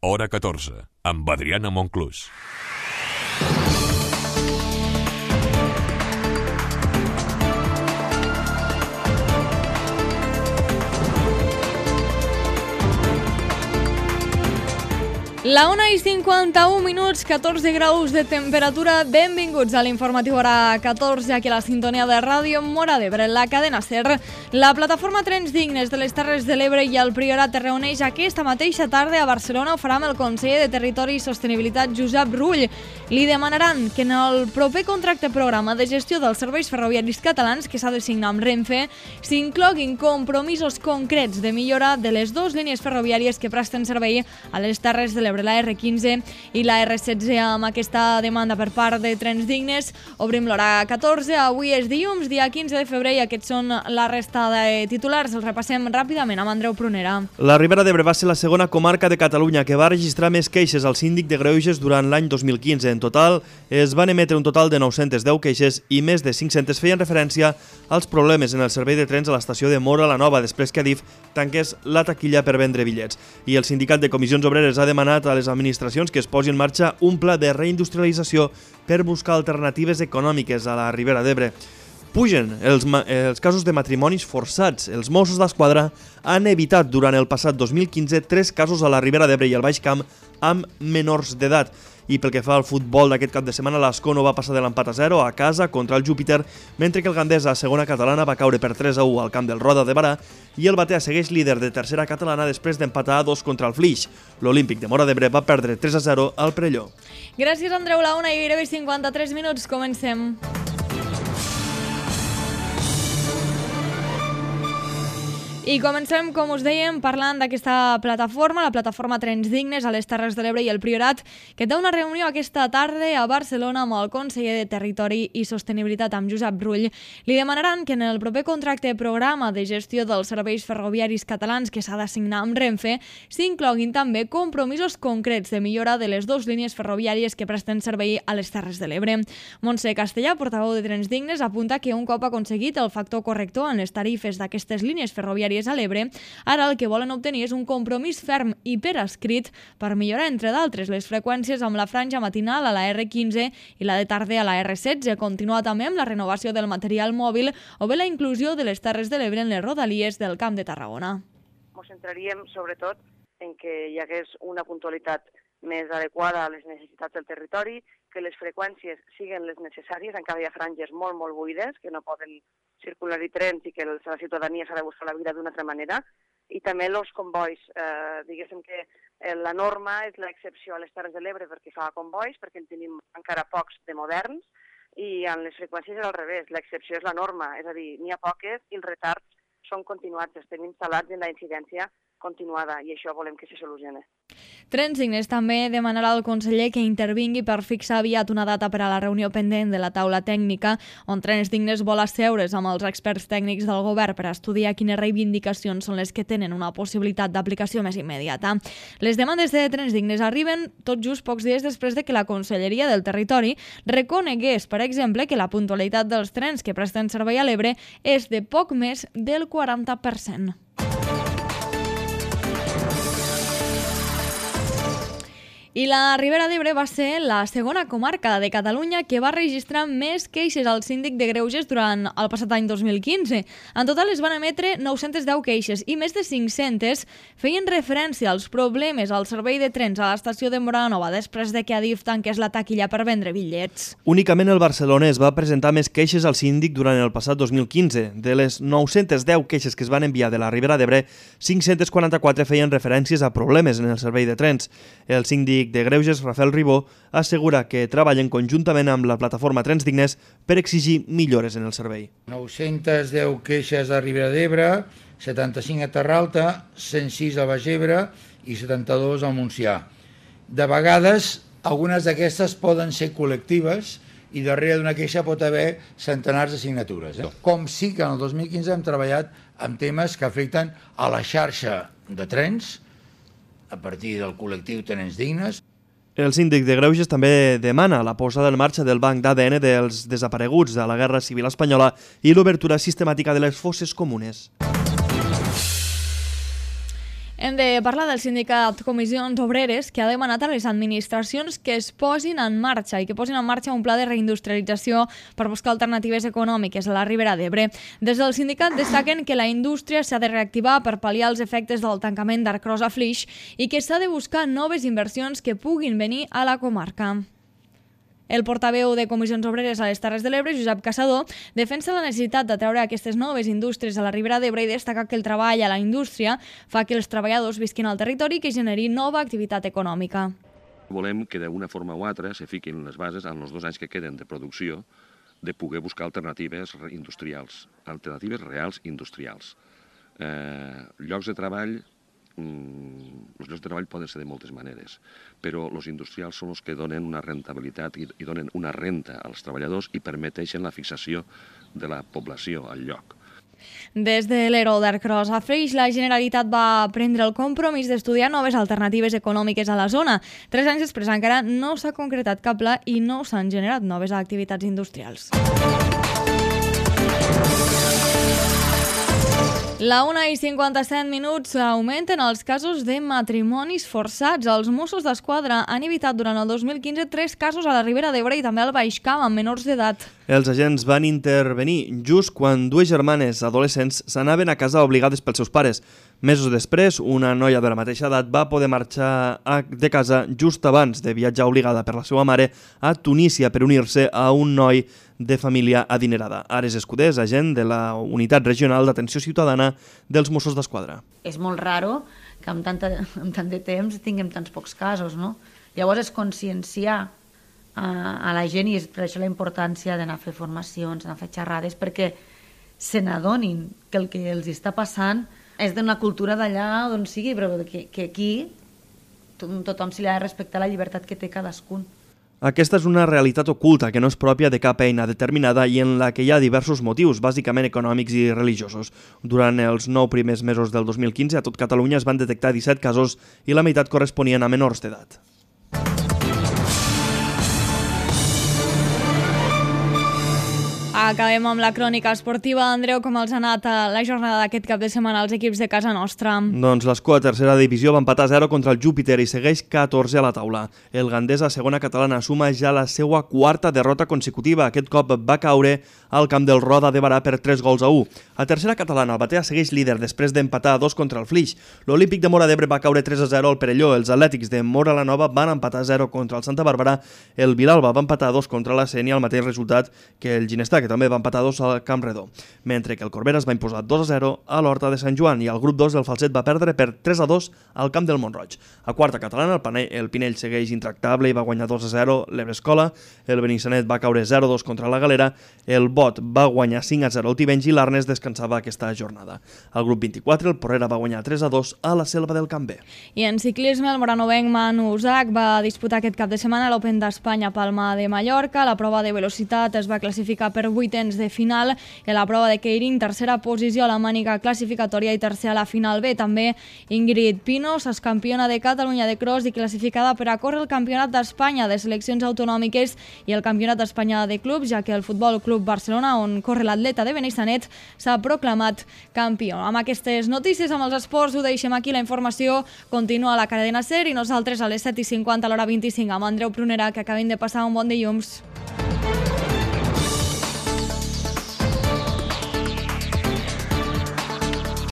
Hora 14, amb Adriana Monclús. La 1:51, 14 graus de temperatura. Benvinguts a l'informatiu Hora 14, aquí a la sintonia de Ràdio Móra d'Ebre, la cadena SER. La plataforma Trens Dignes de les Terres de l'Ebre i el Priorat es reuneix aquesta mateixa tarda a Barcelona. Ho farà amb el conseller de Territori i Sostenibilitat, Josep Rull. Li demanaran que en el proper contracte programa de gestió dels serveis ferroviaris catalans, que s'ha de signar amb Renfe, s'incloguin compromisos concrets de millora de les dues línies ferroviàries que presten servei a les Terres de l'Ebre, la R15 i la R16. Amb aquesta demanda per part de Trens Dignes obrim l'hora 14. Avui és dilluns, dia 15 de febrer, i aquests són la resta de titulars. Els repassem ràpidament amb Andreu Prunera. La Ribera d'Ebre va ser la segona comarca de Catalunya que va registrar més queixes al síndic de greuges durant l'any 2015. En total, es van emetre un total de 910 queixes i més de 500 feien referència als problemes en el servei de trens a l'estació de Móra la Nova, després que Adif tanqués la taquilla per vendre bitllets. I el sindicat de comissions obreres ha demanat a les administracions que es posi en marxa un pla de reindustrialització per buscar alternatives econòmiques a la Ribera d'Ebre. Pugen els casos de matrimonis forçats. Els Mossos d'Esquadra han evitat durant el passat 2015 3 casos a la Ribera d'Ebre i al Baix Camp amb menors d'edat. I pel que fa al futbol d'aquest cap de setmana, l'Ascó va passar de l'empat a 0 a casa contra el Júpiter, mentre que el Gandesa, segona catalana, va caure per 3-1 al camp del Roda de Barà, i el Batea segueix líder de tercera catalana després d'empatar a 2 contra el Flix. L'Olímpic de Móra d'Ebre va perdre 3-0 al Perelló. Gràcies, Andreu. La 1:53, 53 minuts. Comencem. I comencem, com us dèiem, parlant d'aquesta plataforma, la plataforma Trens Dignes a les Terres de l'Ebre i el Priorat, que té una reunió aquesta tarda a Barcelona amb el conseller de Territori i Sostenibilitat, amb Josep Rull. Li demanaran que en el proper contracte programa de gestió dels serveis ferroviaris catalans que s'ha de signar amb Renfe s'incloguin també compromisos concrets de millora de les dues línies ferroviàries que presten servei a les Terres de l'Ebre. Montse Castellà, portaveu de Trens Dignes, apunta que un cop aconseguit el factor corrector en les tarifes d'aquestes línies ferroviàries a l'Ebre, ara el que volen obtenir és un compromís ferm i per escrit per millorar, entre d'altres, les freqüències amb la franja matinal a la R15 i la de tarda a la R16, continuar també amb la renovació del material mòbil o bé la inclusió de les Terres de l'Ebre en les rodalies del Camp de Tarragona. Ens centraríem sobretot en que hi hagués una puntualitat més adequada a les necessitats del territori, que les freqüències siguin les necessàries, encara hi ha franges molt, molt buides, que no poden circular-hi trens i que la ciutadania s'ha de buscar la vida d'una altra manera, i també els convois. Diguéssim que la norma és l'excepció a les Terres de l'Ebre perquè fa convois, perquè en tenim encara pocs de moderns, i en les freqüències és al revés, l'excepció és la norma, és a dir, n'hi ha poques i els retards són continuats, estem instal·lats en la incidència continuada, i això volem que se solucioni. Trens Dignes també demanarà al conseller que intervingui per fixar aviat una data per a la reunió pendent de la taula tècnica, on Trens Dignes vol asseure's amb els experts tècnics del govern per estudiar quines reivindicacions són les que tenen una possibilitat d'aplicació més immediata. Les demandes de Trens Dignes arriben tot just pocs dies després de que la Conselleria del Territori reconegués, per exemple, que la puntualitat dels trens que presten servei a l'Ebre és de poc més del 40%. I la Ribera d'Ebre va ser la segona comarca de Catalunya que va registrar més queixes al síndic de greuges durant el passat any 2015. En total es van emetre 910 queixes i més de 500 feien referència als problemes al servei de trens a l'estació de Móra la Nova després de que Adif tanqués la taquilla per vendre bitllets. Únicament el barcelonès va presentar més queixes al síndic durant el passat 2015. De les 910 queixes que es van enviar de la Ribera d'Ebre, 544 feien referències a problemes en el servei de trens. El síndic de greuges, Rafael Ribó, assegura que treballen conjuntament amb la plataforma Trens Dignes per exigir millores en el servei. 910 queixes a Ribera d'Ebre, 75 a Terralta, 106 a Baix Ebre i 72 al Montsià. De vegades, algunes d'aquestes poden ser col·lectives i darrere d'una queixa pot haver centenars de signatures. Com sí que en el 2015 hem treballat amb temes que afecten a la xarxa de trens, a partir del col·lectiu Trens Dignes. El síndic de greuges també demana la posada en marxa del banc d'ADN dels desapareguts de la Guerra Civil Espanyola i l'obertura sistemàtica de les fosses comunes. Hem de parlar del sindicat Comissions Obreres, que ha demanat a les administracions que es posin en marxa i que posin en marxa un pla de reindustrialització per buscar alternatives econòmiques a la Ribera d'Ebre. Des del sindicat destaquen que la indústria s'ha de reactivar per pal·liar els efectes del tancament d'Arcros a Flix i que s'ha de buscar noves inversions que puguin venir a la comarca. El portaveu de Comissions Obreres a les Terres de l'Ebre, Josep Caçador, defensa la necessitat de treure aquestes noves indústries a la Ribera d'Ebre i destaca que el treball a la indústria fa que els treballadors visquin al territori i que generi nova activitat econòmica. Volem que d'una forma o altra se fiquin les bases en els 2 anys que queden de producció de poder buscar alternatives industrials, alternatives reals industrials. Llocs de treball, els llocs de treball poden ser de moltes maneres, però els industrials són els que donen una rentabilitat i donen una renta als treballadors i permeteixen la fixació de la població al lloc. Des de l'Ero d'Arcros a Flix, la Generalitat va prendre el compromís d'estudiar noves alternatives econòmiques a la zona. 3 anys després encara no s'ha concretat cap pla i no s'han generat noves activitats industrials. La 1:57 augmenten els casos de matrimonis forçats. Els Mossos d'Esquadra han evitat durant el 2015 3 casos a la Ribera d'Ebre i també al Baix Camp amb menors d'edat. Els agents van intervenir just quan 2 germanes adolescents s'anaven a casa obligades pels seus pares. Mesos després, una noia de la mateixa edat va poder marxar de casa just abans de viatjar obligada per la seva mare a Tunísia per unir-se a un noi de família adinerada. Ares Escudés, agent de la Unitat Regional d'Atenció Ciutadana dels Mossos d'Esquadra. És molt raro que en tant de temps tinguem tants pocs casos, no? Llavors és conscienciar a la gent i és per això la importància d'anar a fer formacions, anar a fer xerrades, perquè se n'adonin que el que els està passant és d'una cultura d'allà d'on sigui, però que aquí tothom s'hi ha de respectar la llibertat que té cadascun. Aquesta és una realitat oculta que no és pròpia de cap eina determinada i en la que hi ha diversos motius, bàsicament econòmics i religiosos. Durant els 9 primers mesos del 2015 a tot Catalunya es van detectar 17 casos i la meitat corresponien a menors d'edat. Acabem amb la crònica esportiva. Andreu, com els ha anat a la jornada d'aquest cap de setmana als equips de casa nostra? Doncs l'Escó a tercera divisió va empatar 0 contra el Júpiter i segueix 14 a la taula. El Gandesa a segona catalana suma ja la seva 4ª derrota consecutiva. Aquest cop va caure al camp del Roda de Barà per 3-1. A tercera catalana, el Batea segueix líder després d'empatar a 2 contra el Flix. L'Olímpic de Móra d'Ebre va caure 3-0 al Perelló. Els Atlètics de Móra la Nova van empatar 0 contra el Santa Bàrbara. El Vilalba va empatar 2 contra la Sénia, el mateix resultat que el Ginestà, que també va empatar 2 al Camp Redó, mentre que el Corbera es va imposar 2-0 a l'Horta de Sant Joan i el grup 2 del Falset va perdre per 3-2 al Camp del Montroig. A quarta catalana, el Pinell segueix intractable i va guanyar 2-0 l'Ebrescola, el Benissanet va caure 0-2 contra la Galera, el Bot va guanyar 5-0 al Tivenys i l'Arnes descansava aquesta jornada. Al grup 24, el Porrera va guanyar 3-2 a la Selva del Camp B. I en ciclisme, el moranovenc Manu Usach va disputar aquest cap de setmana l'Open d'Espanya a Palma de Mallorca. La prova de velocitat es va classificar per 8ens de final i la prova de Keirin, tercera posició a la mànica classificatòria i tercera a la final B. També Ingrid Pinos és campiona de Catalunya de cross i classificada per a córrer el Campionat d'Espanya de seleccions autonòmiques i el Campionat d'Espanya de clubs, ja que el Futbol Club Barcelona, on corre l'atleta de Benissanet, s'ha proclamat campió. Amb aquestes notícies, amb els esports, ho deixem aquí. La informació continua a la cadena SER i nosaltres a les 7:50 a l'hora 25 amb Andreu Prunera, que acabem de passar un bon dilluns.